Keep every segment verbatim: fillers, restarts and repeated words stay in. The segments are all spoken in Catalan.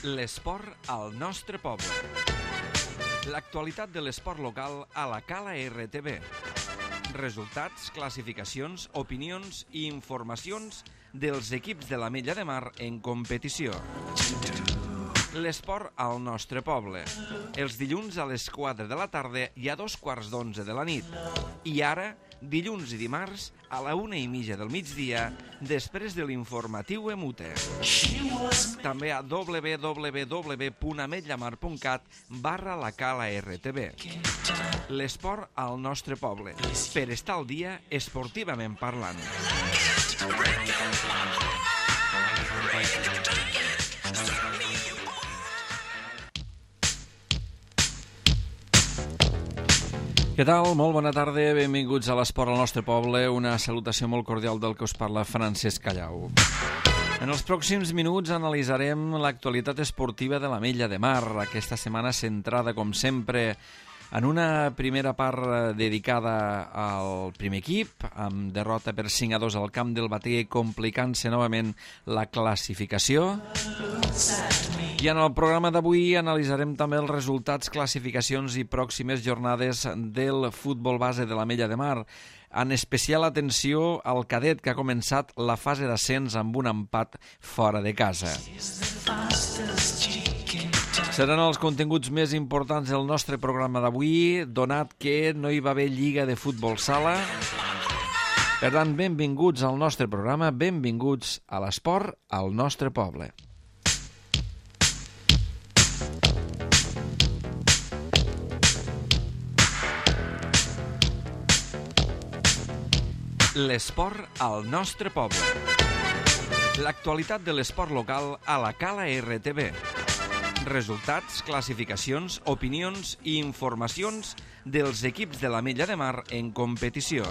L'esport al nostre poble. L'actualitat de l'esport local a la Cala R T B. Resultats, classificacions, opinions i informacions dels equips de l'Ametlla de Mar en competició. L'esport al nostre poble. Els dilluns a les quatre de la tarda i a dos quarts d'onze de la nit. I ara, dilluns i dimarts, a la una i mitja del migdia, després de l'informatiu Emute. També a w w w punt ametllamar punt cat barra la Cala R T B. L'esport al nostre poble, per estar al dia esportivament parlant. Què tal? Molt bona tarda, benvinguts a l'Esport al nostre poble, una salutació molt cordial del que us parla Francesc Callau. En els pròxims minuts analitzarem l'actualitat esportiva de l'Ametlla de Mar, aquesta setmana centrada, com sempre, en una primera part dedicada al primer equip, amb derrota per cinc a dos al camp del Batea, complicant-se novament la classificació. I en el programa d'avui analitzarem també els resultats, classificacions i pròximes jornades del futbol base de l'Ametlla de Mar. En especial atenció al cadet, que ha començat la fase d'ascens amb un empat fora de casa. Seran els continguts més importants del nostre programa d'avui, donat que no hi va haver lliga de futbol sala. Per tant, benvinguts al nostre programa, benvinguts a l'esport al nostre poble. L'esport al nostre poble. L'actualitat de l'esport local a la Cala R T B. Resultats, classificacions, opinions i informacions dels equips de l'Ametlla de Mar en competició.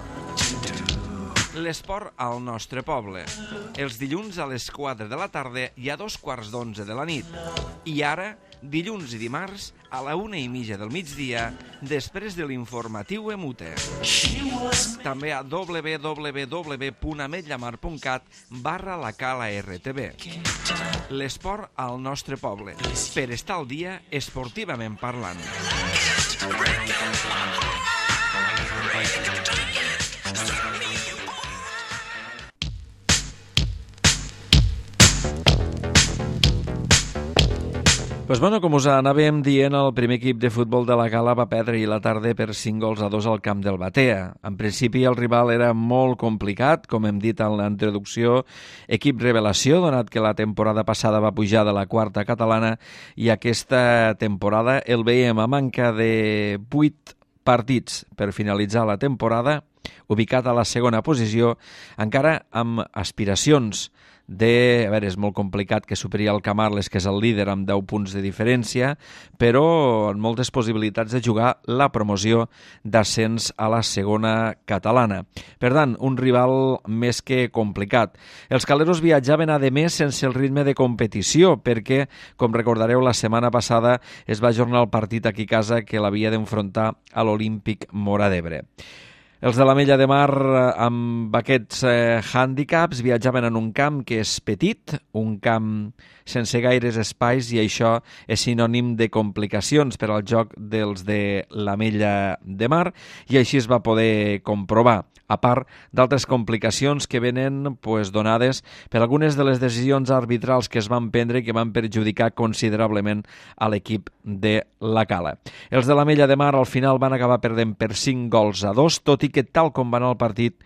L'esport al nostre poble. Els dilluns a les quatre de la tarda i a dos quarts d'onze de la nit. I ara, dilluns i dimarts, a la una i mitja del migdia, després de l'informatiu Emute. També a w w w punt ametllamar punt cat barra la Cala R T B. L'esport al nostre poble, per estar al dia esportivament parlant. Pues bueno, com us anàvem dient, el primer equip de futbol de la Cala va perdre ahir la tarda per cinc gols a dos al camp del Batea. En principi el rival era molt complicat, com hem dit en la introducció, equip revelació, donat que la temporada passada va pujar de la quarta catalana i aquesta temporada el veiem a manca de vuit partits per finalitzar la temporada, ubicat a la segona posició, encara amb aspiracions de... A veure, és molt complicat que superi el Camarles, que és el líder amb deu punts de diferència, però amb moltes possibilitats de jugar la promoció d'ascens a la segona catalana. Per tant, un rival més que complicat. Els caleros viatjaven a més sense el ritme de competició, perquè, com recordareu, la setmana passada es va ajornar el partit aquí a casa que l'havia d'enfrontar a l'Olímpic Móra d'Ebre. Els de l'Ametlla de Mar, amb aquests eh, hàndicaps, viatjaven en un camp que és petit, un camp sense gaires espais, i això és sinònim de complicacions per al joc dels de l'Ametlla de Mar, i així es va poder comprovar, a part d'altres complicacions que venen pues, donades per algunes de les decisions arbitrals que es van prendre i que van perjudicar considerablement a l'equip de la Cala. Els de l'Ametlla de Mar al final van acabar perdent per cinc gols a dos, tot i que tal com va anar el partit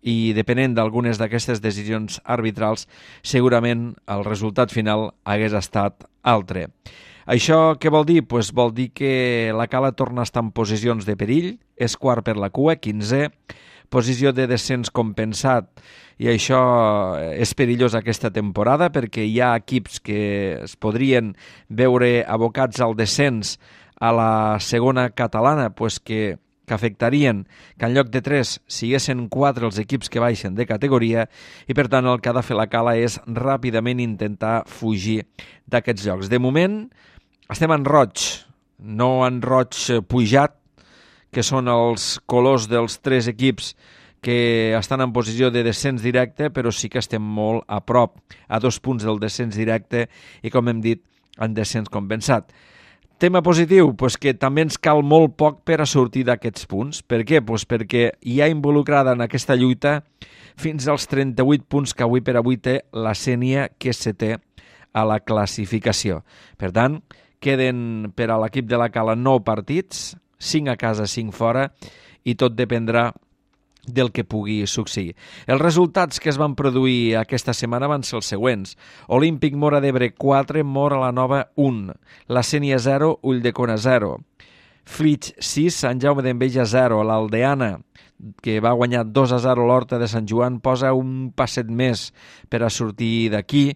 i depenent d'algunes d'aquestes decisions arbitrals, segurament el resultat final hagués estat altre. Això què vol dir? Pues vol dir que la Cala torna a estar en posicions de perill, és quart per la cua, quinzè, posició de descens compensat, i això és perillós aquesta temporada perquè hi ha equips que es podrien veure abocats al descens a la segona catalana, pues que que afectarien que en lloc de tres siguessin quatre els equips que baixen de categoria, i per tant el que ha de fer la Cala és ràpidament intentar fugir d'aquests llocs. De moment estem en roig, no en roig pujat, que són els colors dels tres equips que estan en posició de descens directe, però sí que estem molt a prop, a dos punts del descens directe, i com hem dit, en descens compensat. Tema positiu, pues que també ens cal molt poc per a sortir d'aquests punts. Per què? Pues perquè hi ha involucrada en aquesta lluita fins als trenta-vuit punts que avui per avui té la Sénia, que és setè a la classificació. Per tant, queden per a l'equip de la Cala nou partits, cinc a casa, cinc fora, i tot dependrà del que pugui succeir. Els resultats que es van produir aquesta setmana van ser els següents. Olímpic Móra d'Ebre quatre, Móra la Nova un, la Sénia zero, Ulldecona zero, Flix sis, Sant Jaume d'Enveja zero, l'Aldeana, que va guanyar dos a zero l'Horta de Sant Joan, posa un passet més per a sortir d'aquí,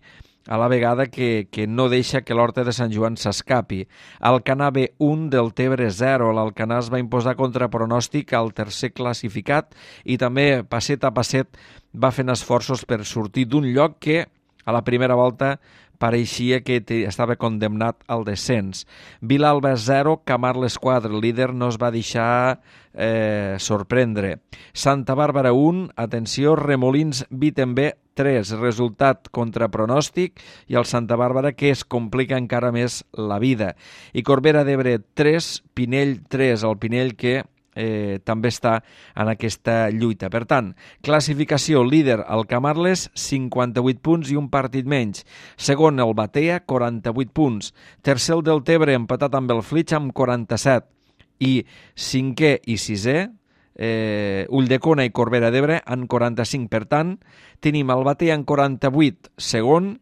a la vegada que, que no deixa que l'Horta de Sant Joan s'escapi. Alcanar B un, del Tebre zero. L'Alcanar es va imposar contra pronòstic al tercer classificat i també, passet a passet, va fent esforços per sortir d'un lloc que, a la primera volta, pareixia que estava condemnat al descens. Vilalba zero, Camarles quatre, el líder no es va deixar eh, sorprendre. Santa Bàrbara un, atenció, Remolins Wittenberg tres, resultat contra pronòstic, i el Santa Bàrbara que es complica encara més la vida. I Corbera d'Ebre tres, Pinell tres, el Pinell que eh, també està en aquesta lluita. Per tant, classificació líder el Camarles, cinquanta-vuit punts i un partit menys. Segon el Batea, quaranta-vuit punts. Tercer el del Tebre, empatat amb el Flix amb quaranta-set. I cinquè i sisè, eh, Ulldecona i Corbera d'Ebre en quaranta-cinc. Per tant, tenim el Batea en quaranta-vuit, segon,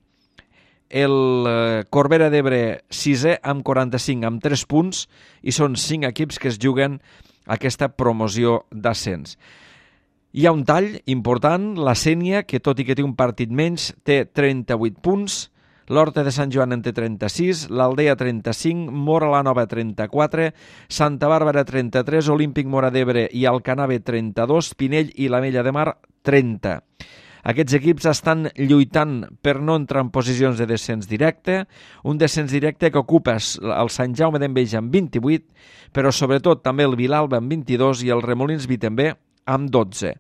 el eh, Corbera d'Ebre sisè amb quaranta-cinc, amb tres punts, i són cinc equips que es juguen aquesta promoció d'ascens. Hi ha un tall important, la Sénia, que tot i que té un partit menys, té trenta-vuit punts, l'Horta de Sant Joan en té trenta-sis, l'Aldea trenta-cinc, Móra la Nova trenta-quatre, Santa Bàrbara trenta-tres, Olímpic Móra d'Ebre i Alcanar B trenta-dos, Pinell i l'Ametlla de Mar trenta. Aquests equips estan lluitant per no entrar en posicions de descens directe, un descens directe que ocupa el Sant Jaume d'Enveja amb vint-i-vuit, però sobretot també el Vilalba amb vint-i-dos i el Remolins Wittenberg amb dotze.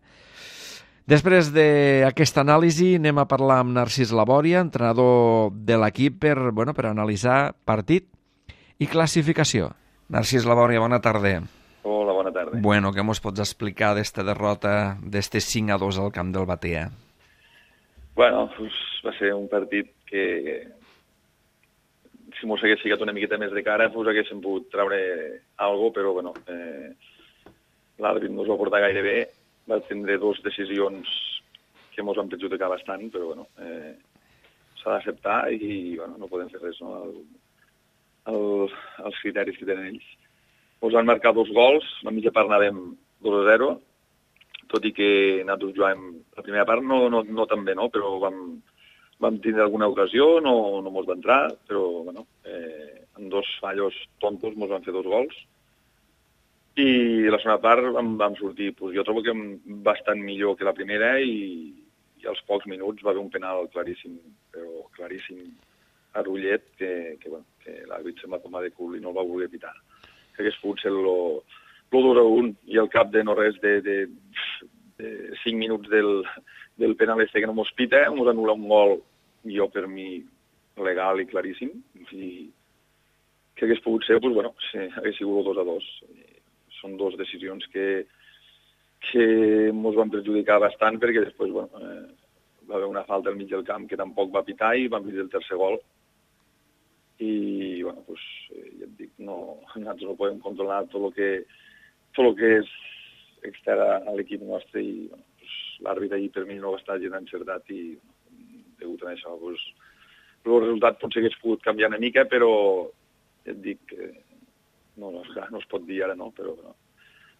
Després d'aquesta anàlisi anem a parlar amb Narcís Labòria, entrenador de l'equip, per, bueno, per analitzar partit i classificació. Narcís Labòria, bona tarda. Hola, bona tarda. Bueno, què mos pots explicar d'esta derrota, d'este cinc a dos al camp del Batea? Bueno, pues va ser un partit que, si mos hagués ficat una miqueta més de cara, pues haguéssim pogut treure alguna cosa, però bueno, eh, l'àrbit no us va portar gaire bé, va tindre dues decisions que mos van perjudicar bastant, però bueno, eh, s'ha d'acceptar i bueno, no podem fer res, no? El, el, els criteris que tenen ells. Ens van marcar dos gols, la mitja part anàvem dos a zero, tot i que nosaltres jugàvem la primera part no, no, no tan bé, no? Però vam, vam tindre alguna ocasió, no, no mos va entrar, però bueno, eh, en dos fallos tontos mos van fer dos gols. I la segona part vam, vam sortir, pues, jo trobo que bastant millor que la primera i, i als pocs minuts va haver un penal claríssim, però claríssim a Rullet, que, que, bueno, que l'àrbit se'm va tomar de cul i no el va voler pitar. Que hagués pogut ser el dos a un i al cap de no res de, de, de cinc minuts del, del penal este que no mos pita, mos anul·la un gol, jo per mi legal i claríssim, i que hagués pogut ser, pues, bueno, sí, hagués sigut el dos a dos. Són dues decisions que, que mos van perjudicar bastant perquè després, bueno, eh, va haver una falta al mig del camp que tampoc va pitar i vam vindre el tercer gol. I, bueno, pues, ja et dic, no, nosaltres no podem controlar tot el que, tot el que és extern a l'equip nostre i, bueno, pues, l'àrbit ahir per mi no va estar gens encertat i, bueno, degut a això, pues, el resultat potser hagués pogut canviar una mica, però ja et dic que no, no, no es pot dir ara, no, però no.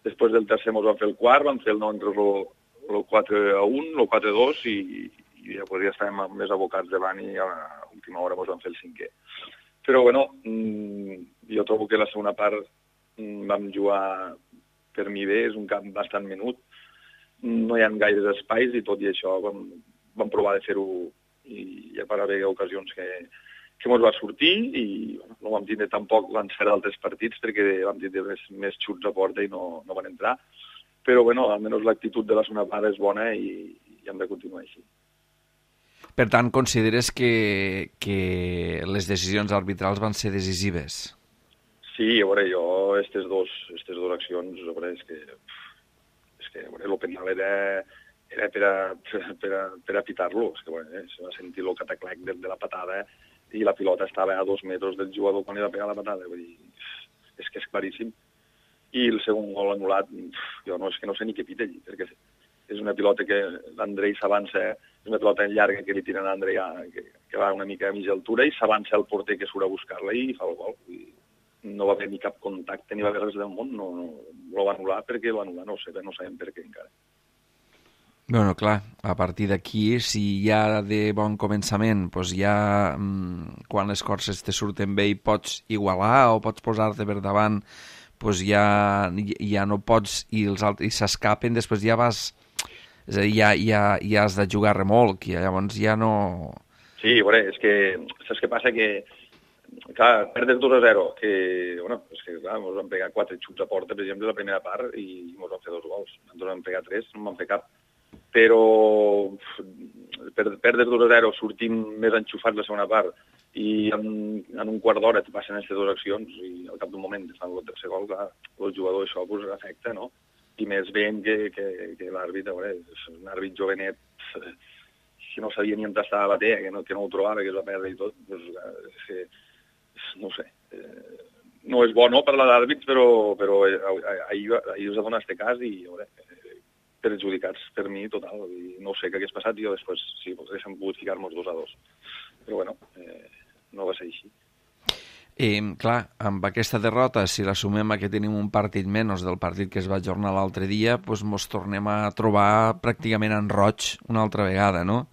Després del tercer mos van fer el quart, van fer el nou entre el quatre a un, el quatre a dos i, i ja podria estar més abocats davant i a l'última hora mos van fer el cinquè. Però, bueno, jo trobo que la segona part vam jugar per mi bé, és un camp bastant menut, no hi ha gaires espais i tot i això vam, vam provar de fer-ho i hi va haver ocasions que, que mos va sortir i bueno, no vam tindre tampoc l'encert d'altres partits perquè vam tindre més, més xuts a porta i no, no van entrar. Però, bueno, almenys l'actitud de la segona part és bona i, i hem de continuar així. Per tant, consideres que, que les decisions arbitrals van ser decisives? Sí, a veure, jo, aquestes dos, aquestes dues accions, a veure, és que, és que a veure, el penal era, era per a, per a, per a pitar-lo, és que, a veure, se va sentir el cataclec de, de la patada i la pilota estava a dos metres del jugador quan li va pegar la patada, vull dir, és que és claríssim. I el segon gol anul·lat, jo no, és que no sé ni què pita allí, perquè és una pilota que l'Andrei s'avança, és una pilota llarga que li tiren a l'Andrei, que, que va una mica a mitja altura, i s'avança el porter que surt a buscar-la i fa el gol. I no va haver ni cap contacte, ni va haver res del món, no, no, no va anul·lar perquè va anul·lar, no ho sé, no sabem per què encara. Bueno, clar, a partir d'aquí, si ja de bon començament, doncs ja mmm, quan les coses te surten bé i pots igualar o pots posar-te per davant, doncs ja, ja no pots i els altres s'escapen, després ja vas... És a dir, ja, ja, ja has de jugar remolc, i llavors ja no... Sí, a veure, és que saps què passa? Que, clar, perdes dos a zero, que, bueno, és que, clar, ens van pegar quatre xuts a porta, per exemple, la primera part, i ens van fer dos gols. Ens van pegar tres, no en van fer cap. Però perdes dos a zero, sortim més enxufats la segona part, i en, en un quart d'hora et passen aquestes dues accions, i al cap d'un moment et fan el tercer gol, clar, el jugador això pues, afecta, no? I més veient que, que, que l'àrbit, a veure, és un àrbit jovenet, si no sabia ni on estava la batea, que no, que no ho trobava, que es va perdre i tot, doncs, que, no ho sé. Eh, no és bo no per l'àrbit, però, però ahir, ahir us ha donat este cas i, a veure, perjudicats per mi total. I no sé què hagués passat i jo després sí, haguéssim pogut ficar-nos dos a dos. Però bueno, eh, no va ser així. I, clar, amb aquesta derrota, si la sumem a que tenim un partit menys del partit que es va ajornar l'altre dia, doncs mos tornem a trobar pràcticament en roig una altra vegada, no?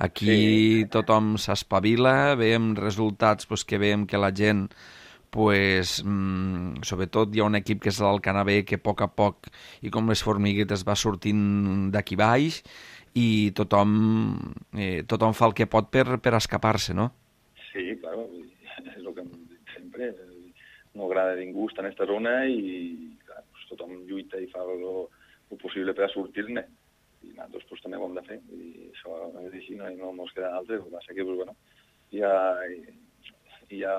Aquí sí. Tothom s'espavila, veiem resultats doncs, que veiem que la gent, pues, mmm, sobretot hi ha un equip que és l'Alcanavè que a poc a poc i com les formiguetes va sortint d'aquí baix i tothom, eh, tothom fa el que pot per, per escapar-se, no? Sí, clar, és el que sempre no agrada a ningú estar en aquesta zona i clar, pues, tothom lluita i fa el possible per a sortir-ne i nosaltres pues, també ho hem de fer i això és així, no, no ens queda altre, el que passa que pues, bueno, hi, ha, hi ha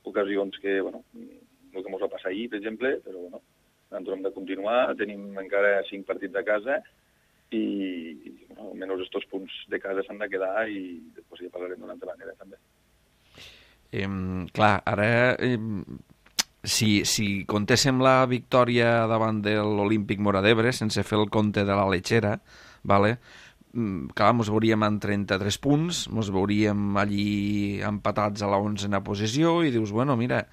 ocasions que bueno, el que ens va passar ahir, per exemple, però bueno, nosaltres hem de continuar, tenim encara cinc partits de casa i bueno, almenys aquests punts de casa s'han de quedar i després ja parlarem d'una altra manera també. Eh, clar, ara eh, si, si contéssim la victòria davant de l'Olímpic Móra d'Ebre sense fer el compte de la Letxera, vale? Clar, ens veuríem en trenta-tres punts, ens veuríem allí empatats a la onzena posició i dius, bueno, mira,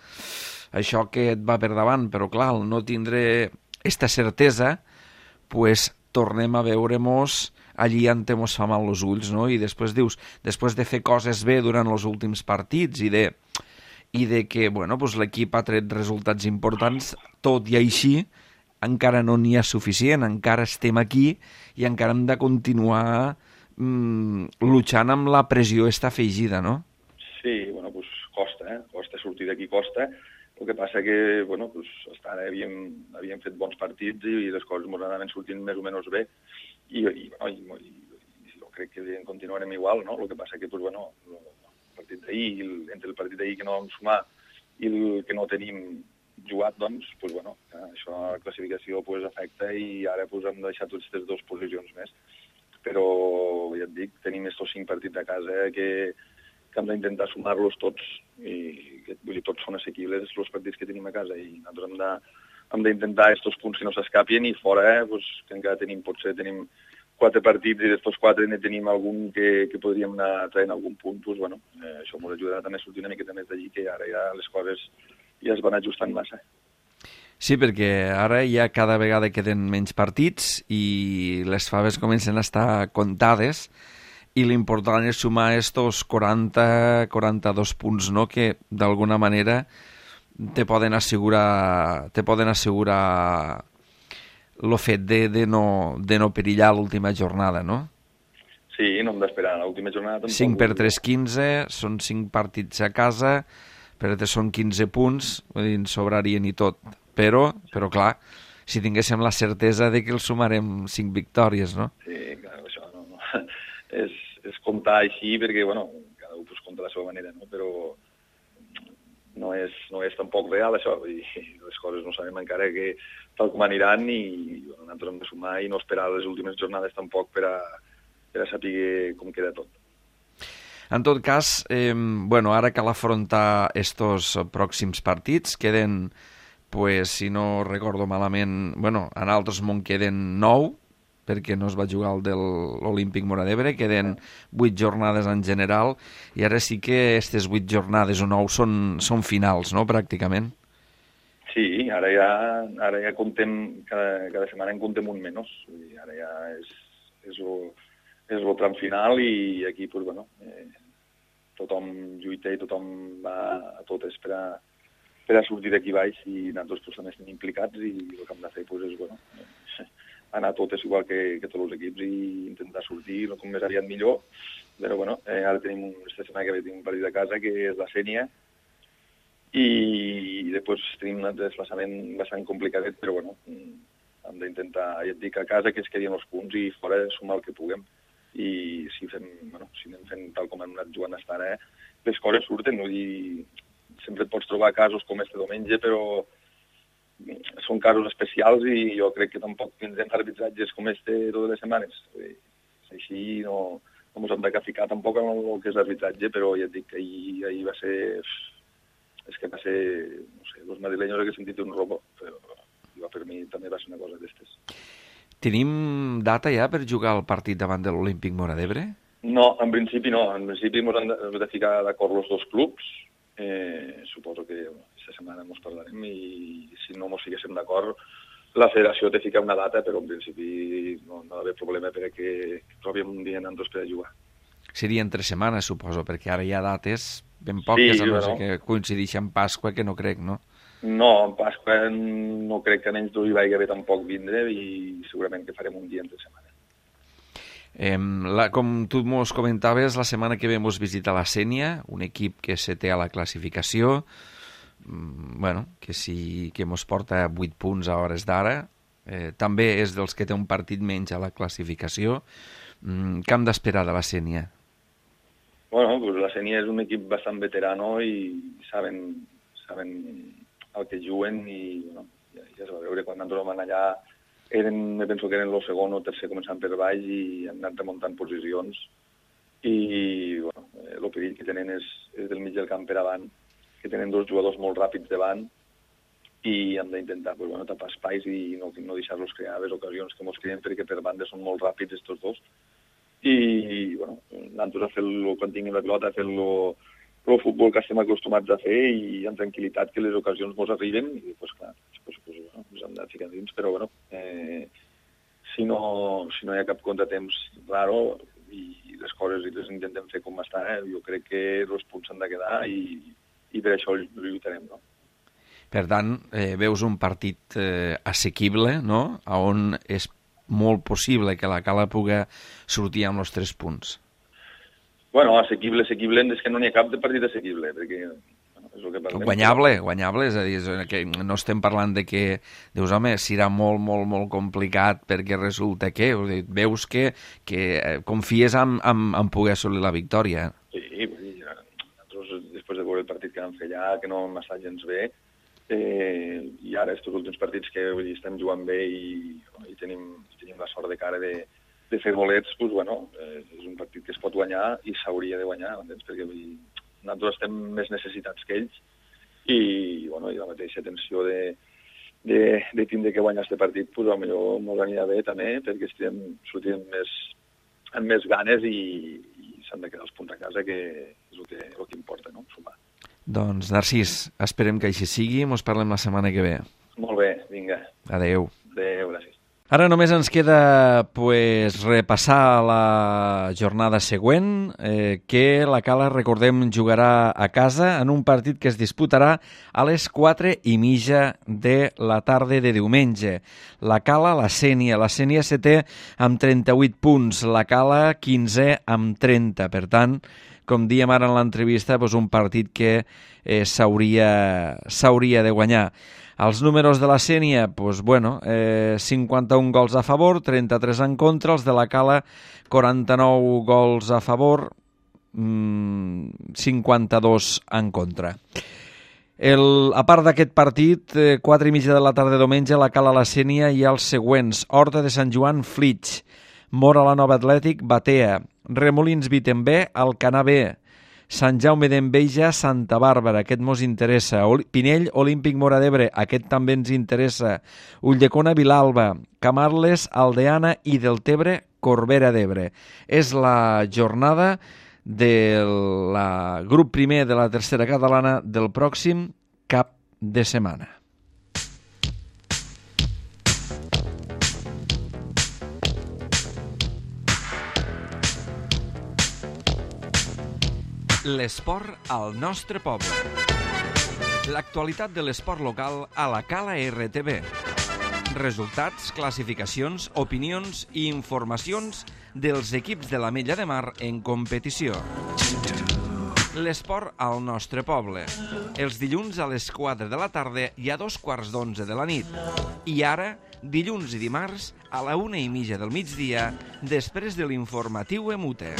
això que et va per davant, però clar, al no tindre esta certesa, pues tornem a veure-mos allí on mos fa mal els ulls, no? I després dius, després de fer coses bé durant els últims partits i de, i de que, bueno, pues l'equip ha tret resultats importants, tot i així, encara no n'hi ha suficient, encara estem aquí i encara hem de continuar mmm, luchant amb la pressió esta afegida, no? Sí, bueno, pues costa, eh? Costa sortir d'aquí, costa. El que passa que, bueno, pues, hasta ara havíem, havíem fet bons partits i les coses ens anaven sortint més o menys bé i, i, bueno, i, i, i jo crec que continuarem igual, no? El que passa que, pues, bueno, el partit d'ahir, entre el partit d'ahir que no vam sumar i el que no tenim jugat, doncs, pues, bueno, això la classificació pues, afecta i ara pues, hem deixat totes aquestes dues posicions més. Però, ja et dic, tenim estos cinc partits a casa que que hem d'intentar sumar-los tots, i vull dir, tots són assequibles els partits que tenim a casa, i nosaltres hem de, hem d'intentar aquests punts que no s'escapin, i fora, eh, pues, que encara tenim, potser tenim quatre partits, i d'estos quatre ne tenim algun que, que podríem anar traient algun punt, pues, bueno, eh, això ens ajudarà també a sortir una miqueta més d'allí, que ara ja les coses ja es van ajustant massa. Sí, perquè ara ja cada vegada queden menys partits i les faves comencen a estar comptades, i l'important és sumar estos quaranta quaranta-dos punts, no?, que d'alguna manera te poden assegurar te poden assegurar el fet de, de, no, de no perillar l'última jornada, no? Sí, no hem d'esperar l'última jornada. Tampoc. cinc per tres, quinze, són cinc partits a casa, però són quinze punts, vull dir, en sobrarien i tot. Però, però clar, si tinguéssim la certesa de que els sumarem cinc victòries, no? Sí, clar, això no... no. És, és comptar així perquè, bueno, cada un pues, compta de la seva manera, no? Però no és, no és tampoc real, això, i les coses no sabem encara que tal com aniran i bueno, nosaltres hem de sumar i no esperar les últimes jornades tampoc per a, per a saber com queda tot. En tot cas, eh, bueno, ara cal afrontar estos pròxims partits. Queden, pues, si no recordo malament, bueno, en altres món queden nou, perquè no es va jugar el de l'Olímpic Móra d'Ebre, queden vuit jornades en general, i ara sí que aquestes vuit jornades o nou són, són finals, no?, pràcticament. Sí, ara ja, ara ja comptem, cada, cada setmana en comptem un menys, ara ja és, és el és el tram final i aquí, pues, bueno, eh, tothom lluita i tothom va a totes per a, per a sortir d'aquí baix i nosaltres pues, també estem implicats i el que hem de fer pues, és bueno, anar a totes igual que, que tots els equips i intentar sortir no, com més aviat millor. Però bueno, eh, ara tenim aquesta setmana que ve tenim un partit de casa que és la Sénia i, i després tenim un desplaçament bastant complicadet, però bueno, hem d'intentar, ja et dic, a casa que es quedin els punts i fora sumar el que puguem. I si fem, bueno, si anem fent tal com hem anat jugant fins ara, eh, les coses surten, no? I sempre et pots trobar casos com este diumenge, però són casos especials i jo crec que tampoc tindrem arbitratges com este totes les setmanes. Així no, no ens hem de ficar tampoc en el que és arbitratge, però ja et dic que ahir, ahir va ser... És que va ser, no sé, els madrileños que he sentit un robo, però per mi també va ser una cosa d'estes. Tenim data ja per jugar el partit davant de l'Olímpic Móra d'Ebre? No, en principi no. En principi ens hem de, hem de ficar d'acord els dos clubs. Eh, suposo que aquesta setmana ens parlarem i si no ens fiquéssim d'acord, la federació té ficar una data, però en principi no, no ha d'haver problema perquè trobem un dia nosaltres per a jugar. Seria entre setmanes, suposo, perquè ara hi ha dates ben poques, sí, a no sé que coincideixi amb Pasqua, que no crec, no? No, en Pasqua no crec que a menys d'ho hi vagi haver tampoc vindre i segurament que farem un dia entre setmana. Eh, la, com tu mos comentaves, la setmana que ve mos visita la Sénia, un equip que se té a la classificació, mm, bueno, que sí que mos porta vuit punts a hores d'ara, eh, també és dels que té un partit menys a la classificació. Mm, què hem d'esperar de la Sénia? Bueno, pues la Sénia és un equip bastant veterano i saben, saben el que juguen i bueno, ja, ja es va veure quan nosaltres vam allà eren, me penso que eren el segon o tercer començant per baix i han anat remuntant posicions i bueno, el perill que tenen és, és del mig del camp per avant, que tenen dos jugadors molt ràpids davant i hem d'intentar pues, bueno, tapar espais i no, no deixar-los crear les ocasions que ens creen perquè per banda són molt ràpids estos dos i bueno, nosaltres a fer-lo quan tinguin la pilota, a fer-lo el futbol que estem acostumats a fer i amb tranquil·litat que les ocasions ens arriben i pues, clar, pues, pues, bueno, ens hem de ficar dins, però bueno, eh, si, no, si no hi ha cap contratemps raro i les coses les intentem fer com està, eh, jo crec que els punts s'han de quedar i, i per això lluitarem, no? Per tant, eh, veus un partit eh, assequible, no?, on és molt possible que la Cala pugui sortir amb els tres punts. Bueno, assequible, assequible, és que no n'hi ha cap de partit assequible, perquè bueno, és el que parlem. Guanyable, guanyable, és a dir, és que no estem parlant de que, dius, home, serà molt, molt, molt complicat perquè resulta que, veus que, que confies en, en, en poder assolir la victòria. Sí, vull dir, nosaltres, després de veure el partit que vam fer allà, que no m'està gens bé, eh, i ara, aquests últims partits que vull dir, estem jugant bé i, i tenim, tenim la sort de cara de de fer bolets, doncs, bueno, eh, és un partit que es pot guanyar i s'hauria de guanyar, entens? Perquè vull dir, nosaltres estem més necessitats que ells i, bueno, i la mateixa tensió de, de, de tindre que guanyar aquest partit, doncs, potser ens anirà bé també, perquè estem sortint més, amb més ganes i, i s'han de quedar els punts a casa, que és el que, el que importa, no?, sumar. Doncs, Narcís, esperem que així sigui, mos parlem la setmana que ve. Molt bé, vinga. Adeu. Adeu, gràcies. Ara només ens queda pues, repassar la jornada següent, eh, que la Cala, recordem, jugarà a casa en un partit que es disputarà a les quatre i mitja de la tarda de diumenge. La Cala, la Sénia. La Sénia setè amb trenta-vuit punts, la Cala quinzè amb trenta. Per tant, com diem ara en l'entrevista, doncs un partit que eh, s'hauria s'hauria de guanyar. Els números de la Sénia, doncs, bueno, eh, cinquanta-un gols a favor, trenta-tres en contra, els de la Cala, quaranta-nou gols a favor, mmm, cinquanta-dos en contra. El, a part d'aquest partit, eh, quatre i mitja de la tarda de diumenge, la Cala, la Sénia i els següents: Horta de Sant Joan, Flix; Mora, la Nova Atlètic, Batea; Remolins, Vitembé, Alcanar B; Sant Jaume d'Enveja, Santa Bàrbara, aquest mos interessa; Pinell, Olímpic Móra d'Ebre, aquest també ens interessa; Ulldecona, Vilalba; Camarles, Aldeana i Deltebre, Corbera d'Ebre. És la jornada del la grup primer de la tercera catalana del pròxim cap de setmana. L'esport al nostre poble. L'actualitat de l'esport local a la Cala R T V. Resultats, classificacions, opinions i informacions dels equips de l'Ametlla de Mar en competició. L'esport al nostre poble. Els dilluns a les quatre de la tarda i a dos quarts d'onze de la nit. I ara, dilluns i dimarts, a la una i mitja del migdia, després de l'informatiu Emute.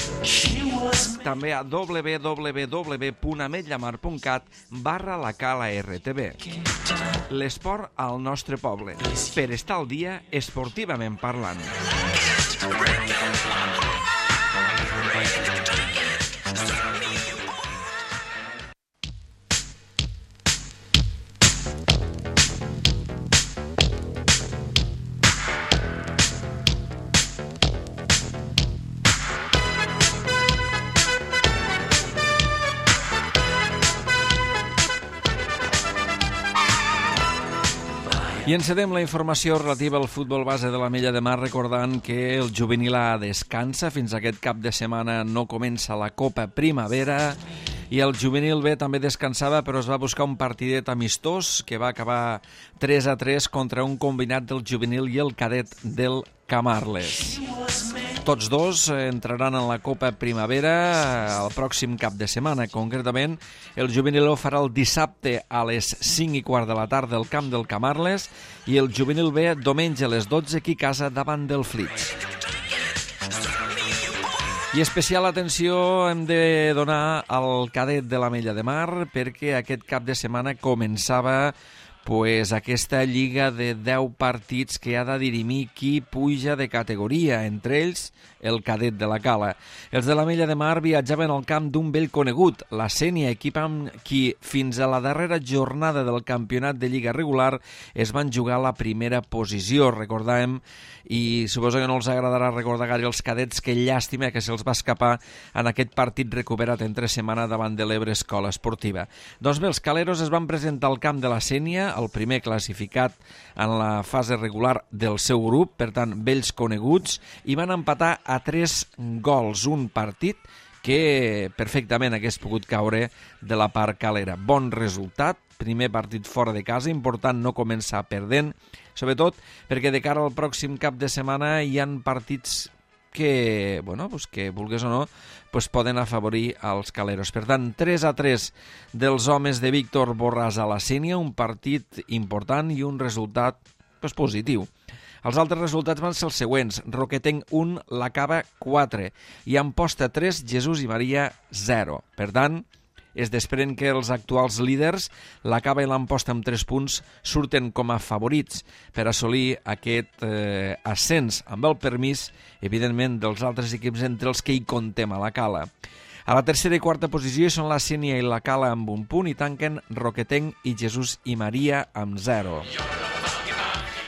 També a w w w punt ametllamar punt cat barra la Cala R T V. L'esport al nostre poble. Per estar al dia esportivament parlant. I encedem la informació relativa al futbol base de l'Ametlla de Mar recordant que el juvenil A descansa. Fins aquest cap de setmana no comença la Copa Primavera i el juvenil B també descansava, però es va buscar un partidet amistós que va acabar tres a tres contra un combinat del juvenil i el cadet del Camarles. Tots dos entraran en la Copa Primavera el pròxim cap de setmana. Concretament, el juvenil ho farà el dissabte a les cinc i quart de la tarda al camp del Camarles i el juvenil B diumenge a les dotze aquí a casa davant del Flix. I especial atenció hem de donar al cadet de l'Ametlla de Mar perquè aquest cap de setmana començava pues, aquesta lliga de deu partits que ha de dirimir qui puja de categoria, entre ells el cadet de la Cala. Els de l'Ametlla de Mar viatjaven al camp d'un vell conegut, la Sénia, equip amb qui fins a la darrera jornada del campionat de lliga regular es van jugar la primera posició, recordàvem, i suposo que no els agradarà recordar gaire els cadets, que llàstima que se'ls va escapar en aquest partit recuperat entre setmana davant de l'Ebre Escola Esportiva. Doncs bé, els caleros es van presentar al camp de la Sénia, el primer classificat en la fase regular del seu grup, per tant, vells coneguts, i van empatar a tres gols, un partit que perfectament hagués pogut caure de la part calera. Bon resultat, primer partit fora de casa, important no començar perdent, sobretot perquè de cara al pròxim cap de setmana hi han partits que, bueno, pues que vulgues o no, pues poden afavorir als caleros. Per tant, tres a tres dels homes de Víctor Borràs a la Sénia, un partit important i un resultat pues, positiu. Els altres resultats van ser els següents. Roquetenc un, la Cava quatre i Amposta tres, Jesús i Maria zero. Per tant, es desprèn que els actuals líders, la Cava i l'Amposta amb tres punts, surten com a favorits per assolir aquest eh, ascens amb el permís, evidentment, dels altres equips entre els que hi contem a la Cala. A la tercera i quarta posició són la Sénia i la Cala amb un punt i tanquen Roquetenc i Jesús i Maria amb zero.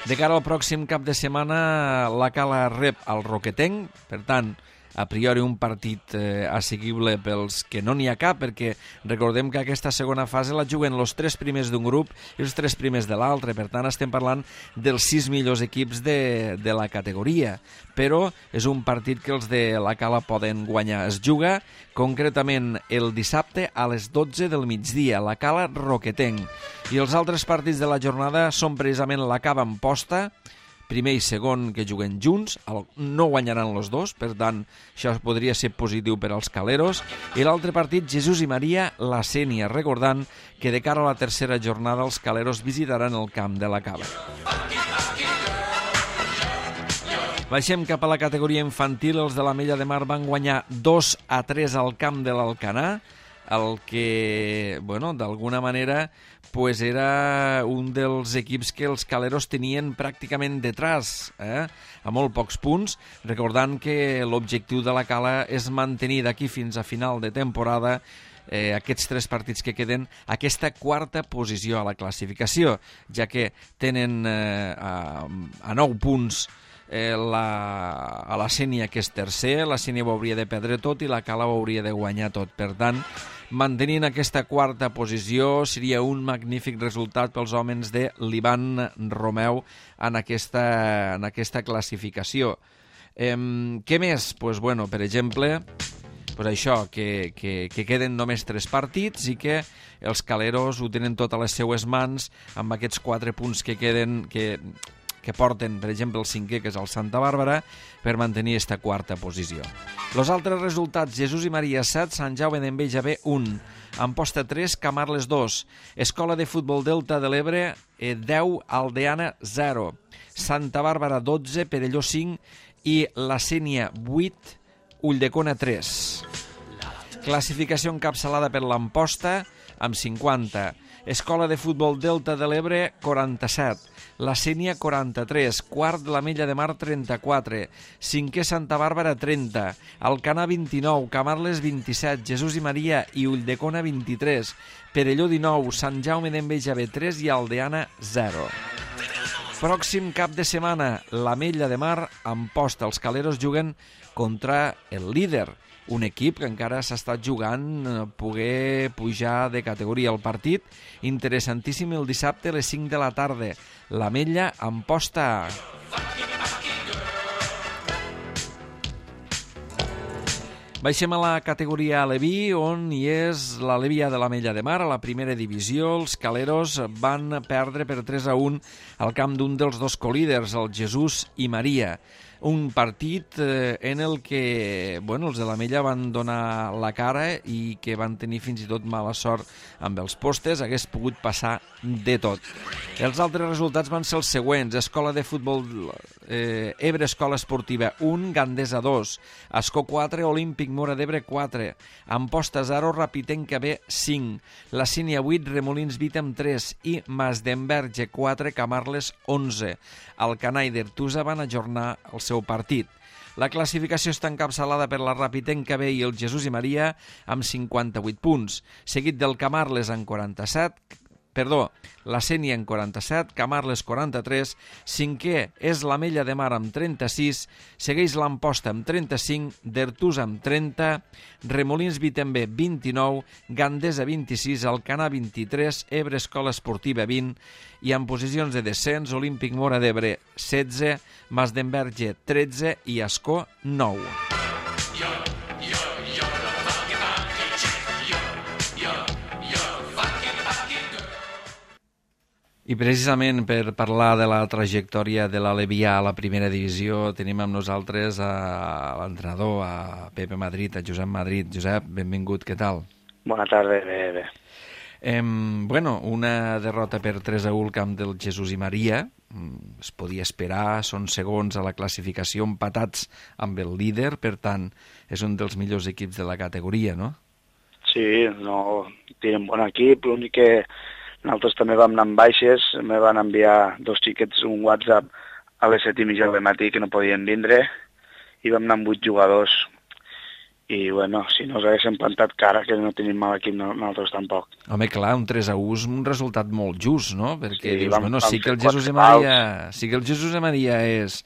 De cara al pròxim cap de setmana, la Cala rep el Roquetenc, per tant, a priori un partit eh, assequible pels que no n'hi ha cap, perquè recordem que aquesta segona fase la juguen els tres primers d'un grup i els tres primers de l'altre, per tant estem parlant dels sis millors equips de, de la categoria, però és un partit que els de la Cala poden guanyar. Es juga concretament el dissabte a les dotze del migdia, la Cala Roquetenc, i els altres partits de la jornada són precisament la Cava Amposta, primer i segon que juguen junts, no guanyaran els dos, per tant, això podria ser positiu per als caleros. I l'altre partit, Jesús i Maria, la Sénia, recordant que de cara a la tercera jornada els caleros visitaran el camp de la Cava. Baixem cap a la categoria infantil. Els de l'Ametlla de Mar van guanyar dos a tres al camp de l'Alcanar, el que, bueno, d'alguna manera pues era un dels equips que els caleros tenien pràcticament detrás, eh? A molt pocs punts, recordant que l'objectiu de la Cala és mantenir d'aquí fins a final de temporada eh, aquests tres partits que queden, aquesta quarta posició a la classificació, ja que tenen eh, a, a nou punts eh, la, a la Sénia, que és tercer. La Sénia ho hauria de perdre tot i la Cala ho hauria de guanyar tot. Per tant, mantenint aquesta quarta posició seria un magnífic resultat pels homes de l'Ivan Romeu en aquesta, en aquesta classificació. Eh, què més? Pues, bueno, per exemple, pues això, que, que, que queden només tres partits i que els caleros ho tenen tot a les seues mans amb aquests quatre punts que queden, que, que porten, per exemple, el cinquè, que és el Santa Bàrbara, per mantenir aquesta quarta posició. Els altres resultats: Jesús i Maria set, Sant Jaume d'Enveja B un, Amposta tres, Camarles dos, Escola de Futbol Delta de l'Ebre deu, Aldeana zero, Santa Bàrbara dotze, Perelló cinc i la Sénia vuit, Ulldecona tres. Classificació encapçalada per l'Amposta amb cinquanta, Escola de Futbol Delta de l'Ebre quaranta-set, la Sénia quaranta-tres, quart l'Ametlla de Mar trenta-quatre, cinquè Santa Bàrbara trenta, Alcanar vint-i-nou, Camarles vint-i-set, Jesús i Maria i Ulldecona vint-i-tres, Perelló dinou, Sant Jaume d'Enveja B tres i Aldeana zero. Pròxim cap de setmana, l'Ametlla de Mar Amposta. Els caleros juguen contra el líder, un equip que encara s'ha estat jugant poder pujar de categoria. El partit interessantíssim el dissabte a les cinc de la tarda. L'Ametlla Amposta. Baixem a la categoria Aleví, on hi és l'Alevia de l'Ametlla de Mar, a la primera divisió. Els caleros van perdre per tres a un al camp d'un dels dos colíders, el Jesús i Maria. Un partit eh, en el que, bueno, els de l'Ametlla van donar la cara i que van tenir fins i tot mala sort amb els postes. Hagués pogut passar de tot. Els altres resultats van ser els següents: Escola de Futbol eh, Ebre Escola Esportiva un, Gandesa dos, Ascó quatre, Olímpic Móra d'Ebre quatre, Amposta zero, Rapitenca B cinc, la Sínia vuit, Remolins Vítem tres i Masdenverge quatre, Camarles onze. Alcanar i Dertusa van ajornar el seu partit. La classificació està encapçalada per la Rapitenca B i el Jesús i Maria amb cinquanta-vuit punts, seguit del Camarles amb quaranta-set, perdó, la Sénia en quaranta-set, Camarles quaranta-tres, cinquè és l'Ametlla de Mar amb trenta-sis, segueix l'Amposta amb trenta-cinc, Dertusa amb trenta, Remolins Vítem B vint-i-nou, Gandesa vint-i-sis, Alcanar vint-i-tres, Ebre Escola Esportiva vint, i en posicions de descens, Olímpic Móra d'Ebre setze, Masdenverge tretze i Ascó nou. I precisament per parlar de la trajectòria de l'Alevià a la primera divisió tenim amb nosaltres a l'entrenador, a Pepe Madrid, a Josep Madrid. Josep, benvingut, què tal? Bona tarda, bé, bé. Eh, bueno, una derrota per tres a u al camp del Jesús i Maria. Es podia esperar, són segons a la classificació, empatats amb el líder, per tant, és un dels millors equips de la categoria, no? Sí, no, tenen bon equip, l'únic que nosaltres també vam anar amb baixes, me van enviar dos xiquets un WhatsApp a les set i mitja del matí que no podien vindre i vam anar amb vuit jugadors i bueno, si no us haguéssim plantat cara que no tenim mal equip nosaltres tampoc. Home, clar, un tres a u és un resultat molt just, no? Perquè sí, dius, vam, bueno, vam sí que el Jesús i Maria, sí que el Jesús i Maria és,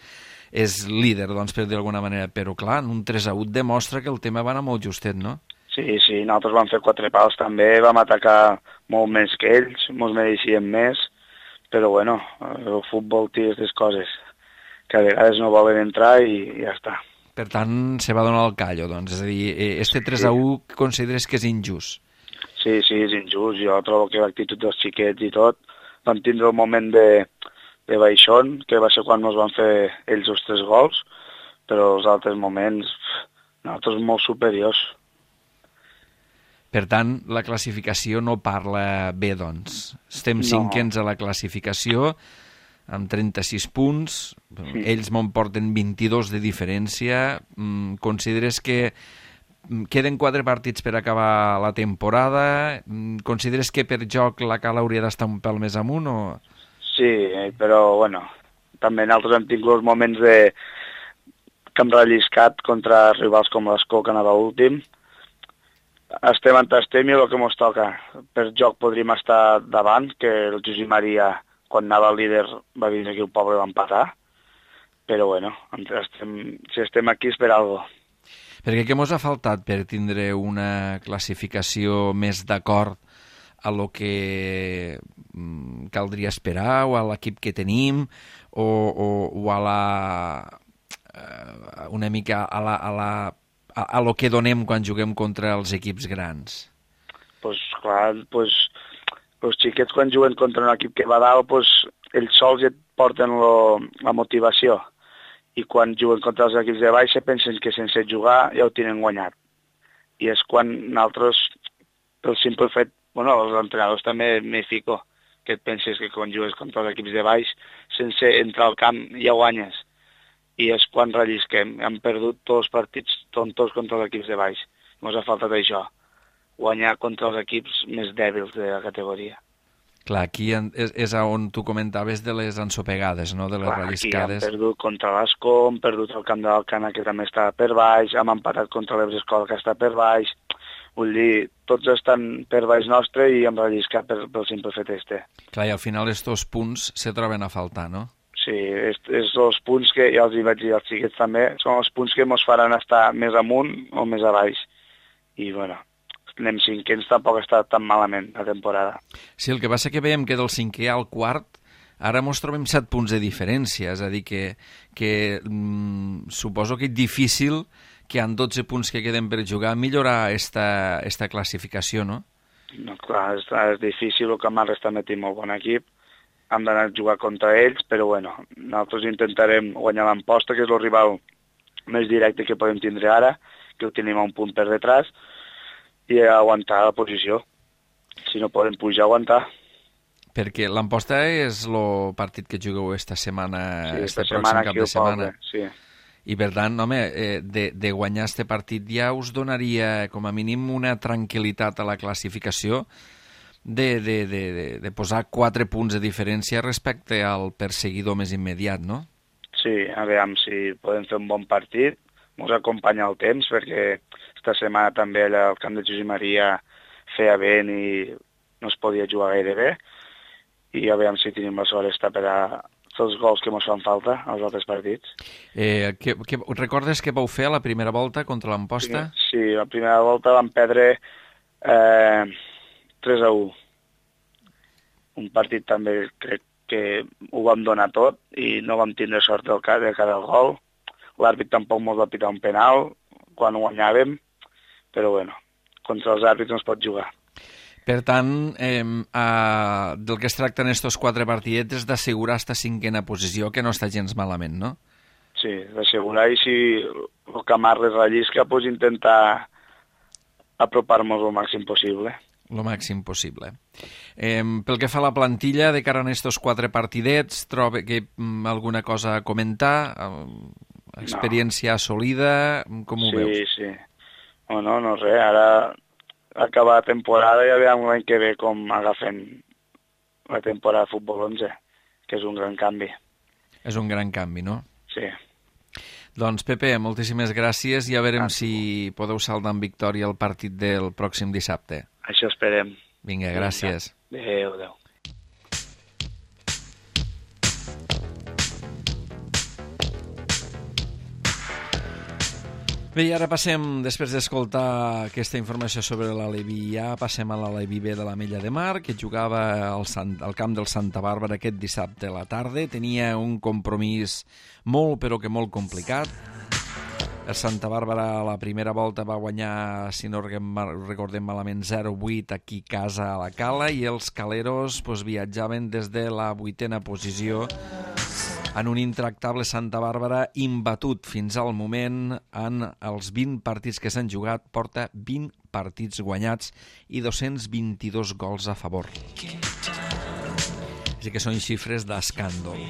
és líder, doncs, per dir d'alguna manera, però clar, un tres a u demostra que el tema va anar molt justet, no? Sí, sí, nosaltres vam fer quatre pals també, vam atacar molt més que ells, ens mereixíem més, però bueno, el futbol té aquestes coses que a vegades no volen entrar i, i ja està. Per tant, se va donar el callo, doncs, és a dir, este tres a u consideres que és injust? Sí, sí, és injust, jo trobo que l'actitud dels xiquets i tot, vam tindre el moment de, de baixón, que va ser quan ens van fer ells els tres gols, però els altres moments, nosaltres molt superiors. Per tant, la classificació no parla bé, doncs. Estem No. cinquens a la classificació, amb trenta-sis punts, Sí. ells me'n porten vint-i-dos de diferència. Mm, Consideres que mm, queden quatre partits per acabar la temporada? Mm, Consideres que per joc la Cala hauria d'estar un pèl més amunt o...? Sí, però, bueno, també nosaltres hem tingut els moments de que hem relliscat contra rivals com l'Escó, que anava últim. Estem on estem i el que ens toca. Per joc podríem estar davant, que el Josep Maria, quan anava el líder, va vindre aquí el poble i va empatar. Però, bueno, estem, si estem aquí és per algo. Perquè què mos ha faltat per tindre una classificació més d'acord a lo que mm, caldria esperar o a l'equip que tenim o, o, o a la eh, una mica a la, a la a, a lo que donem quan juguem contra els equips grans? Pues clar, pues, els xiquets quan juguen contra un equip que va dalt, pues, ells sols ja et porten lo, la motivació. I quan juguen contra els equips de baixa pensen que sense jugar ja ho tenen guanyat. I és quan nosaltres, pel simple fet, bueno, els entrenadors també m'hi fico, que et penses que quan jugues contra els equips de baix, sense entrar al camp ja guanyes. I és quan rellisquem. Hem perdut tots els partits tontos contra els equips de baix. Ens ha faltat això, guanyar contra els equips més dèbils de la categoria. Clar, aquí és, és on tu comentaves de les ensopegades, no? De les Clar, relliscades. Aquí hem perdut contra l'Escó, hem perdut el camp de l'Alcana, que també està per baix, hem empatat contra l'Ebrescola, que està per baix. Vull dir, tots estan per baix nostre i hem relliscat per, pel simple fet este. Clar, i al final estos punts se troben a faltar, no? Sí, és, és els punts que, ja els hi vaig dir als xiquets també, són els punts que ens faran estar més amunt o més a baix. I, bueno, anem cinquens, tampoc està tan malament la temporada. Sí, el que passa que veiem que del cinquè al quart ara mos trobem set punts de diferència, és a dir, que, que mm, suposo que és difícil que en dotze punts que queden per jugar millorar esta, esta classificació, no? No, clar, és, és difícil, el Camarles també té molt bon equip, hem d'anar a jugar contra ells, però bueno, nosaltres intentarem guanyar l'Amposta, que és el rival més directe que podem tindre ara, que ho tenim a un punt per detrás, i aguantar la posició. Si no podem pujar, aguantar. Perquè l'Amposta és el partit que jugueu esta setmana, Sí, este esta pròxim setmana cap aquí de al setmana. poble, sí. I per tant, home, eh, de, de guanyar este partit ja us donaria com a mínim una tranquil·litat a la classificació de, de, de, de, de posar quatre punts de diferència respecte al perseguidor més immediat, no? Sí, a veure si podem fer un bon partit, ens acompanya el temps, perquè esta setmana també allà al camp de Josep Maria feia vent i no es podia jugar gaire bé, i a veure si tenim la sort d'estar per a fer els gols que ens fan falta als altres partits. Eh, que, que, recordes què vau fer a la primera volta contra l'Amposta? Sí, sí, la primera volta vam perdre eh, tres a u. Un partit també crec que ho vam donar tot i no vam tindre sort del cas de cada gol. L'àrbit tampoc ens va pitar un penal quan guanyàvem, però bueno, contra els àrbits no es pot jugar. Per tant, eh, eh, del que es tracta en estos quatre partidets és d'assegurar esta cinquena posició, que no està gens malament, no? Sí, d'assegurar, i si el Camarles rellisca, pues intentar apropar-nos el màxim possible. Lo màxim possible. Eh, pel que fa a la plantilla, de cara a estos quatre partidets, troba que mm, alguna cosa a comentar? Eh, experiència no. assolida? Com ho sí, veus? Sí, sí. No, no, no res. Ara acabar la temporada i ja veiem l'any que ve com agafem la temporada de futbol onze, que és un gran canvi. És un gran canvi, no? Sí. Doncs, Pepe, moltíssimes gràcies i a veurem ah. si podeu saldar amb victòria el partit del pròxim dissabte. Això esperem. Vinga, gràcies. Adéu, adéu. Bé, i ara passem, després d'escoltar aquesta informació sobre l'Aleví A, passem a l'Aleví B de l'Ametlla de Mar, que jugava al, Sant, al camp del Santa Bàrbara aquest dissabte a la tarda. Tenia un compromís molt, però que molt complicat. El Santa Bàrbara a la primera volta va guanyar, si no recordem malament, zero vuit aquí a casa a la Cala, i els caleros pues, viatjaven des de la vuitena posició en un intractable Santa Bàrbara imbatut fins al moment en els vint partits que s'han jugat, porta vint partits guanyats i dos-cents vint-i-dos gols a favor. Així que són xifres d'escàndol.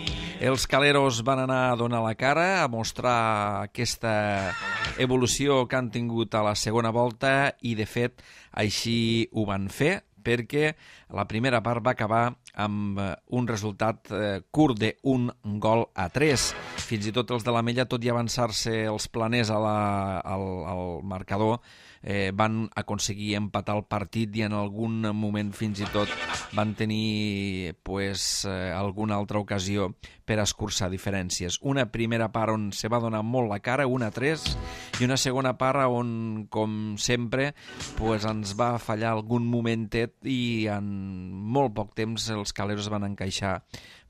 Els caleros van anar a donar la cara, a mostrar aquesta evolució que han tingut a la segona volta i, de fet, així ho van fer, perquè la primera part va acabar amb un resultat eh, curt d'un gol a tres. Fins i tot els de l'Ametlla, tot i avançar-se els planers a la, al, al marcador, eh, van aconseguir empatar el partit i en algun moment fins i tot van tenir pues, eh, alguna altra ocasió per escurçar diferències. Una primera part on se va donar molt la cara, un a tres, i una segona part on, com sempre, pues, ens va fallar algun momentet i en molt poc temps els caleros van encaixar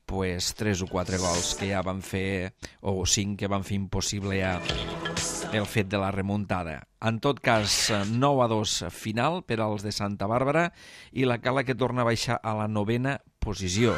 pues, tres o quatre gols que ja van fer, o cinc que van fer impossible ja el fet de la remuntada. En tot cas, nou a dos final per als de Santa Bàrbara i la Cala que torna a baixar a la novena posició.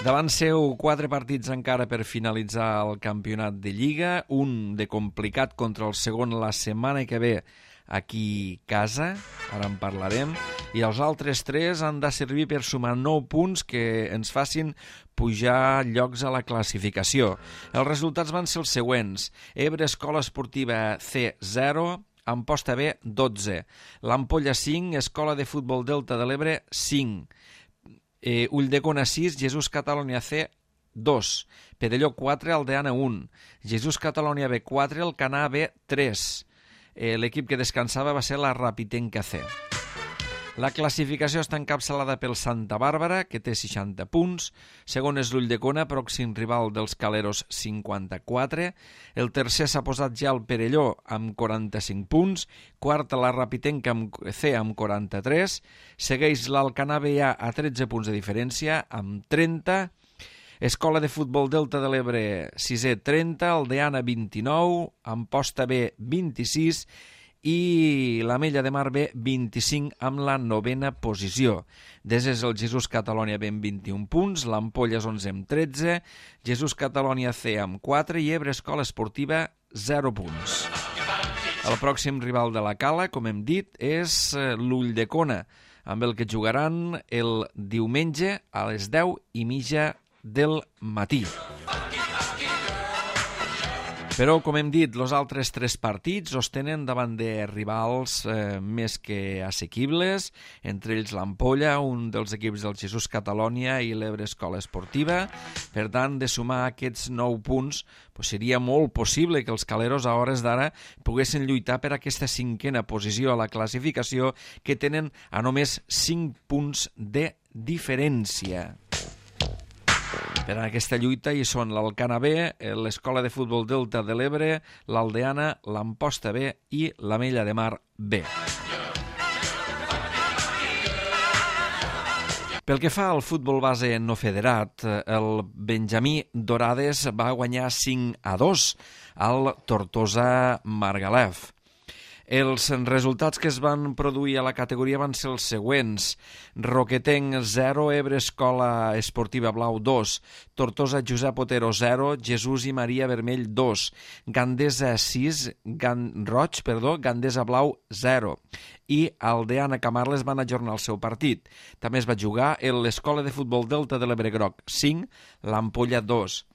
Davant seu, quatre partits encara per finalitzar el campionat de Lliga, un de complicat contra el segon la setmana que ve aquí a casa, ara en parlarem, i els altres tres han de servir per sumar nou punts que ens facin pujar llocs a la classificació. Els resultats van ser els següents: Ebre Escola Esportiva C zero, Amposta B dotze, l'Ampolla cinc, Escola de Futbol Delta de l'Ebre cinc, eh, Ulldecona sis, Jesús Catalunya C dos, Perelló quatre, Aldeana un, Jesús Catalunya B quatre, Alcanar B tres. Eh, l'equip que descansava va ser la Rapitenca C. La classificació està encapçalada pel Santa Bàrbara, que té seixanta punts, segon és l'Ulldecona, pròxim rival dels caleros, cinquanta-quatre, el tercer s'ha posat ja el Perelló amb quaranta-cinc punts, quarta la Rapitenca amb C amb quaranta-tres, segueix l'Alcanar B A a tretze punts de diferència amb trenta, Escola de Futbol Delta de l'Ebre sisè trenta, Aldeana vint-i-nou, Amposta B vint-i-sis i l'Ametlla de Mar B vint-i-cinc amb la novena posició. Desès el Jesús Catalunya B amb vint-i-un punts, l'Ampolla és onze amb tretze, Jesús Catalunya C amb quatre i Ebre Escola Esportiva zero punts. El pròxim rival de la Cala, com hem dit, és l'Ulldecona, amb el que jugaran el diumenge a les deu i mitja del matí. Però, com hem dit, els altres tres partits els tenen davant de rivals eh, més que assequibles, entre ells l'Ampolla, un dels equips del Jesús Catalunya i l'Ebre Escola Esportiva. Per tant, de sumar aquests nou punts, pues seria molt possible que els caleros a hores d'ara poguessin lluitar per aquesta cinquena posició a la classificació, que tenen a només cinc punts de diferència. Per a aquesta lluita hi són l'Alcanar B, l'Escola de Futbol Delta de l'Ebre, l'Aldeana, l'Amposta B i l'Ametlla de Mar B. Pel que fa al futbol base no federat, el Benjamí Dorades va guanyar cinc a dos al Tortosa Margalef. Els resultats que es van produir a la categoria van ser els següents: Roquetenc zero, Ebre Escola Esportiva Blau dos, Tortosa Josep Otero zero, Jesús i Maria Vermell dos, Gandesa sis, Gan... Roig, perdó, Gandesa Blau zero, i Aldeana Camarles van ajornar el seu partit. També es va jugar l'Escola de Futbol Delta de l'Ebre Groc cinc, l'Ampolla dos.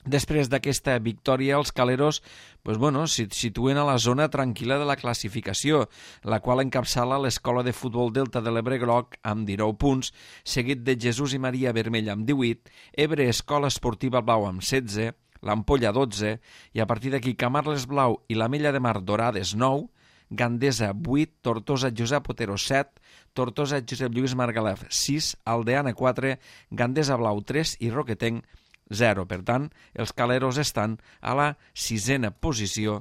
Després d'aquesta victòria, els caleros pues bueno, se situen a la zona tranquil·la de la classificació, la qual encapçala l'Escola de Futbol Delta de l'Ebre Groc amb dinou punts, seguit de Jesús i Maria Vermell amb divuit, Ebre Escola Esportiva Blau amb setze, l'Ampolla dotze, i a partir d'aquí Camarles Blau i l'Ametlla de Mar Dorades nou, Gandesa vuit, Tortosa Josep Otero set, Tortosa Josep Lluís Margalef sis, Aldeana quatre, Gandesa Blau tres i Roquetenc zero. Per tant, els caleros estan a la sisena posició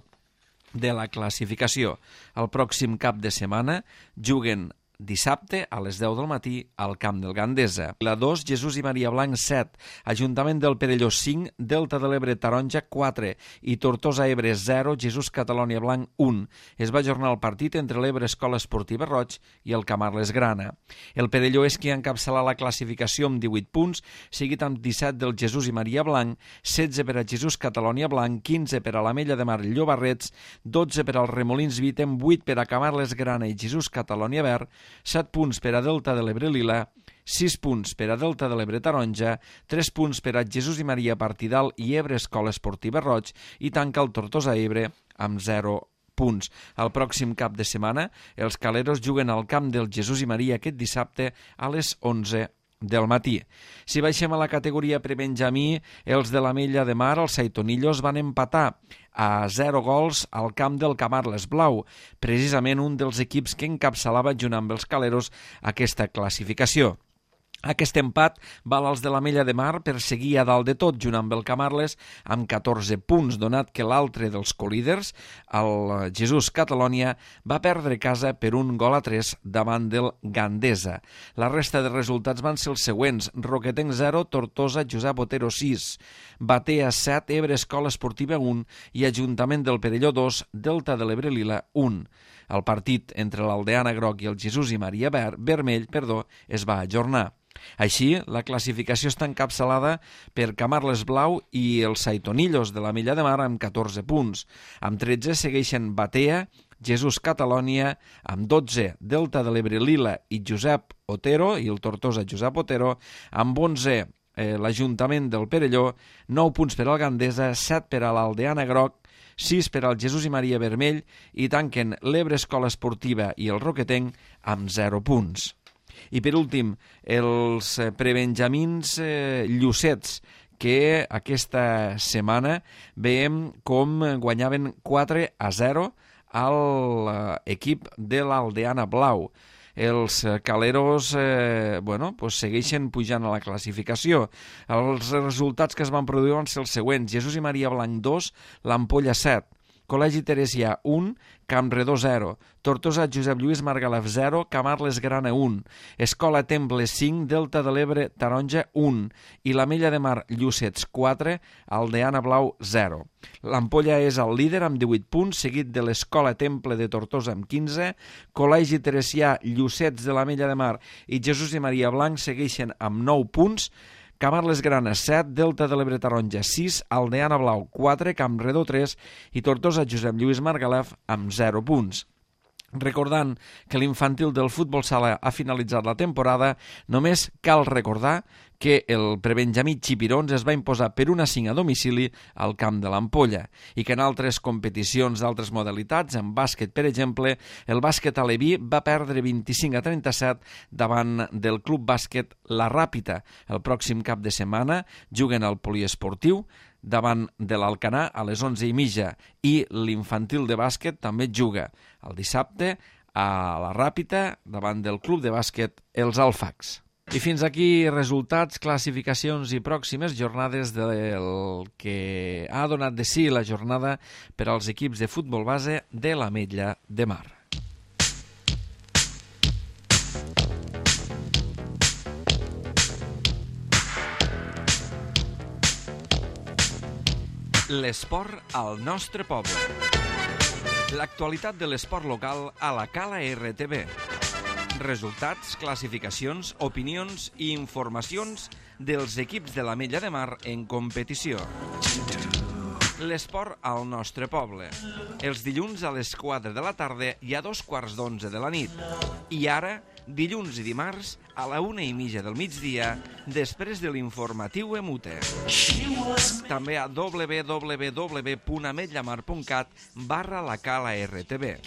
de la classificació. El pròxim cap de setmana juguen dissabte a les deu del matí al camp del Gandesa. La dos, Jesús i Maria Blanc set, Ajuntament del Perelló cinc, Delta de l'Ebre Taronja quatre i Tortosa Ebre zero, Jesús Catalònia Blanc un. Es va ajornar el partit entre l'Ebre Escola Esportiva Roig i el Camarles Grana. El Perelló és qui encapçala la classificació amb divuit punts, seguit amb disset del Jesús i Maria Blanc, setze per a Jesús Catalònia Blanc, quinze per a l'Ametlla de Mar Llobarrets, dotze per als Remolins Vitem, vuit per a Camarles Grana i Jesús Catalònia Verd, set punts per a Delta de l'Ebre Lila, sis punts per a Delta de l'Ebre Taronja, tres punts per a Jesús i Maria Partidal i Ebre Escola Esportiva Roig i tanca el Tortosa Ebre amb zero punts. El pròxim cap de setmana, els caleros juguen al camp del Jesús i Maria aquest dissabte a les onze del matí. Si baixem a la categoria prebenjamí, els de l'Ametlla de Mar, els Saitonillos, van empatar a zero gols al camp del Camarles Blau, precisament un dels equips que encapçalava junt amb els caleros aquesta classificació. Aquest empat val als de l'Ametlla de Mar per seguir a dalt de tot, junt amb el Camarles, amb catorze punts, donat que l'altre dels colíders, el Jesús Catalònia, va perdre casa per un gol a tres davant del Gandesa. La resta de resultats van ser els següents: Roquetenc zero, Tortosa Josep Otero sis, Batea set, Ebre Escola Esportiva un i Ajuntament del Perelló dos, Delta de l'Ebre Lila un. El partit entre l'Aldeana Groc i el Jesús i Maria Ver, Vermell perdó, es va ajornar. Així, la classificació està encapçalada per Camarles Blau i els Saitonillos de l'Ametlla de Mar amb catorze punts. Amb tretze segueixen Batea, Jesús Catalònia, amb dotze Delta de l'Ebre Lila i Josep Otero i el Tortosa Josep Otero, amb onze eh, l'Ajuntament del Perelló, nou punts per al Gandesa, set per a l'Aldeana Groc, sis per al Jesús i Maria Vermell i tanquen l'Ebre Escola Esportiva i el Roquetenc amb zero punts. I per últim, els prebenjamins eh, llucets, que aquesta setmana veiem com guanyaven quatre a zero a l'equip de l'Aldeana Blau. Els caleros eh, bueno, pues segueixen pujant a la classificació. Els resultats que es van produir van ser els següents: Jesús i Maria Blanc dos, l'Ampolla set, Col·legi Teresià un, Campredó zero, Tortosa Josep Lluís Margalef zero, Camarles Grana un, Escola Temple cinc, Delta de l'Ebre Taronja un i l'Ametlla de Mar Llucets quatre, Aldeana Blau zero. L'Ampolla és el líder amb divuit punts, seguit de l'Escola Temple de Tortosa amb quinze, Col·legi Teresià, Llucets de l'Ametlla de Mar i Jesús i Maria Blanc segueixen amb nou punts, Camarles Grana set, Delta de l'Ebre Taronja sis, Aldeana Blau quatre, Campredó tres i Tortosa Josep Lluís Margalef amb zero punts. Recordant que l'infantil del futbol sala ha finalitzat la temporada, només cal recordar que el prebenjamí Xipirons es va imposar per un a cinc a domicili al camp de l'Ampolla i que en altres competicions d'altres modalitats, en bàsquet per exemple, el bàsquet aleví va perdre vint-i-cinc a trenta-set davant del club bàsquet La Ràpita. El pròxim cap de setmana juguen al poliesportiu davant de l'Alcanar a les onze i mitja i l'infantil de bàsquet també juga el dissabte a La Ràpita davant del club de bàsquet Els Alfacs. I fins aquí resultats, classificacions i pròximes jornades del que ha donat de si la jornada per als equips de futbol base de l'Ametlla de Mar. L'esport al nostre poble. L'actualitat de l'esport local a la Cala R T V. Resultats, classificacions, opinions i informacions dels equips de l'Ametlla de Mar en competició. L'esport al nostre poble. Els dilluns a les quatre de la tarda i a dos quarts d'onze de la nit. I ara, dilluns i dimarts, a la una i mitja del migdia, després de l'informatiu Emute. També a w w w punt ametllamar punt cat barra la Cala R T V.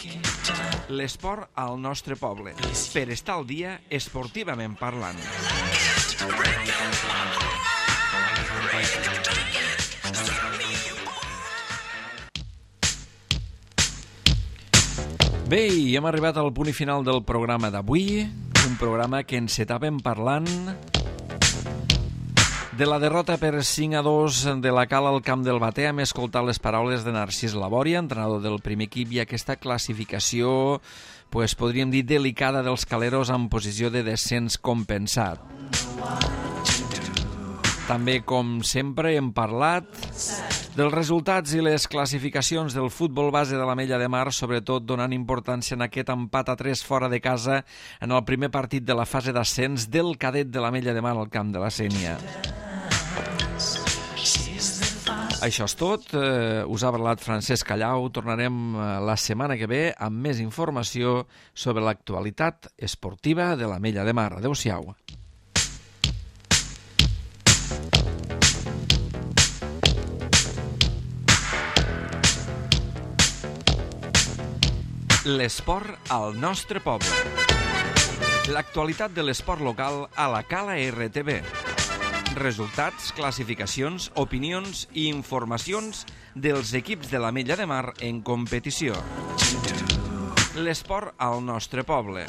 L'esport al nostre poble, per estar al dia esportivament parlant. Bé, i hem arribat al punt i final del programa d'avui, un programa que encetàvem parlant de la derrota per cinc a dos de la Cala al camp del Batea. Hem escoltat les paraules de Narcís Labòria, entrenador del primer equip, i aquesta classificació pues, podríem dir delicada dels Caleros en posició de descens compensat. També, com sempre, hem parlat dels resultats i les classificacions del futbol base de l'Ametlla de Mar, sobretot donant importància en aquest empat a tres fora de casa en el primer partit de la fase d'ascens del cadet de l'Ametlla de Mar al camp de la Sénia. Això és tot. Eh, us ha parlat Francesc Callau. Tornarem la setmana que ve amb més informació sobre l'actualitat esportiva de l'Ametlla de Mar. Adéu-siau. L'esport al nostre poble. L'actualitat de l'esport local a la Cala R T V. Resultats, classificacions, opinions i informacions dels equips de l'Ametlla de Mar en competició. L'esport al nostre poble.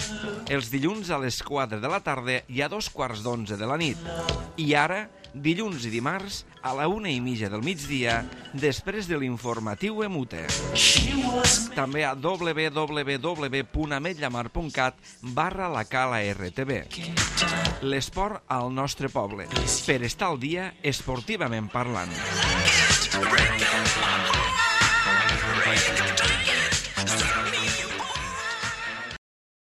Els dilluns a les quatre de la tarda i a dos quarts d'onze de la nit. I ara, dilluns i dimarts, a la una i mitja del migdia, després de l'informatiu Emute. També a w w w punt ametllamar punt cat barra la Cala R T V. L'esport al nostre poble. Per estar al dia esportivament parlant.